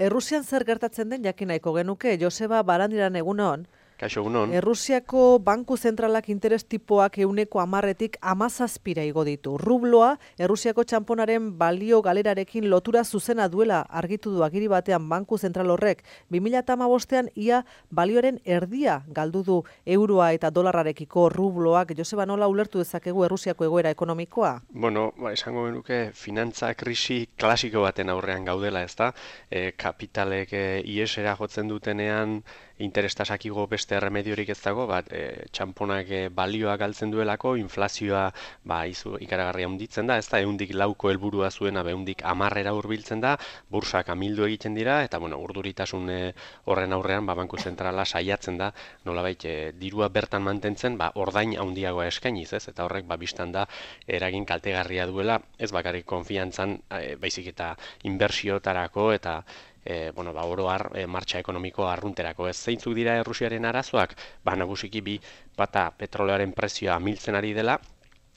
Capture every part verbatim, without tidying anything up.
Errusian zer gertatzen den jakin nahiko genuke, Joseba Barandiaran egunon. Kaixo, egunon. Errusiako banku zentralak interes tipoak euneko hamarretik hamazazpira igo ditu. Rubloa, Errusiako txamponaren balio galerarekin lotura zuzena duela argitu du agiri batean banku zentral horrek. bi mila hamabostean ia balioaren erdia galdu du euroa eta dolarrarekiko rubloak. Joseba, nola ulertu dezakegu Errusiako egoera ekonomikoa? Bueno, ba, esango genuke finantza krisi klasiko baten aurrean gaudela, ezta? E, kapitalek e, iesera jotzen dutenean interestasak igo beste erremediorik ez dago, bat e, txamponak e, balioa galtzen duelako, inflazioa ba, izu, ikaragarria handitzen da, ezta? Ehundik lauko helburua zuena, ehundik hamarrera hurbiltzen da, bursak amildu egiten dira, eta bueno, urduritasun e, horren aurrean ba, banku zentrala saiatzen da, nolabait e, dirua bertan mantentzen, ba, ordain handiagoa eskainiz, ez? Eta horrek ba, bistan da eragin kaltegarria duela, ez bakarrik konfiantzan, e, baizik eta inbertsiotarako eta E, bueno, ba, oro har, e, martxa ekonomiko arrunterako. Ez zeintzuk dira Errusiaren arazoak? Ba, nagusiki bi bata petroleoaren prezioa amiltzen ari dela,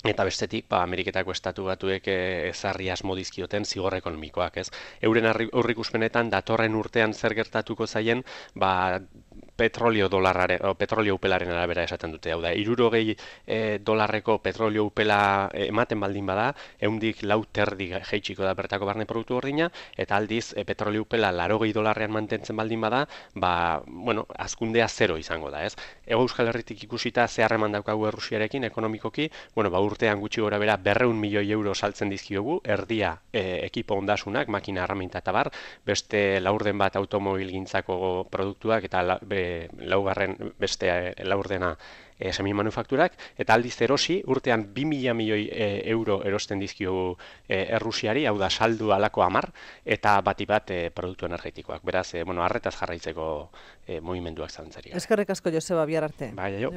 eta bestetik, ba, Ameriketako estatu batuek e, ezarri asmo dizkioten zigor ekonomikoak, ez? Euren aurreikuspenetan datorren urtean zer gertatuko zaien, ba, petrolio dolarrare, o, petrolio upelaren arabera esaten dute. Hau da, hirurogei e, dolarreko petrolio upela e, ematen baldin bada, ehundik lau terdi jeitsiko da bertako barne produktu gordina, eta aldiz e, petrolio upela larogei dolarrean mantentzen baldin bada, ba, bueno, hazkundea zero izango da, ez? Ego Euskal Herritik ikusita ze harreman daukagu Errusiarekin ekonomikoki, bueno, ba, urtean gutxi gora bera berreun milioi euro saltzen dizkiogu, erdia e, ekipo ondasunak, makina erraminta eta bar, beste laurden bat automobilgintzako produktuak eta la, be, laugarren beste e, laurdena e, semi-manufakturak, eta aldiz erosi, urtean bi mila milioi e, euro erosten dizkiogu e, Errusiari, hau da saldu alako hamar, eta bati bat e, produktu energetikoak. Beraz, e, bueno, arretaz jarraitzeko e, mugimenduak zalantzari. Eskerrik asko, Joseba, bihar arte. Bai, jo.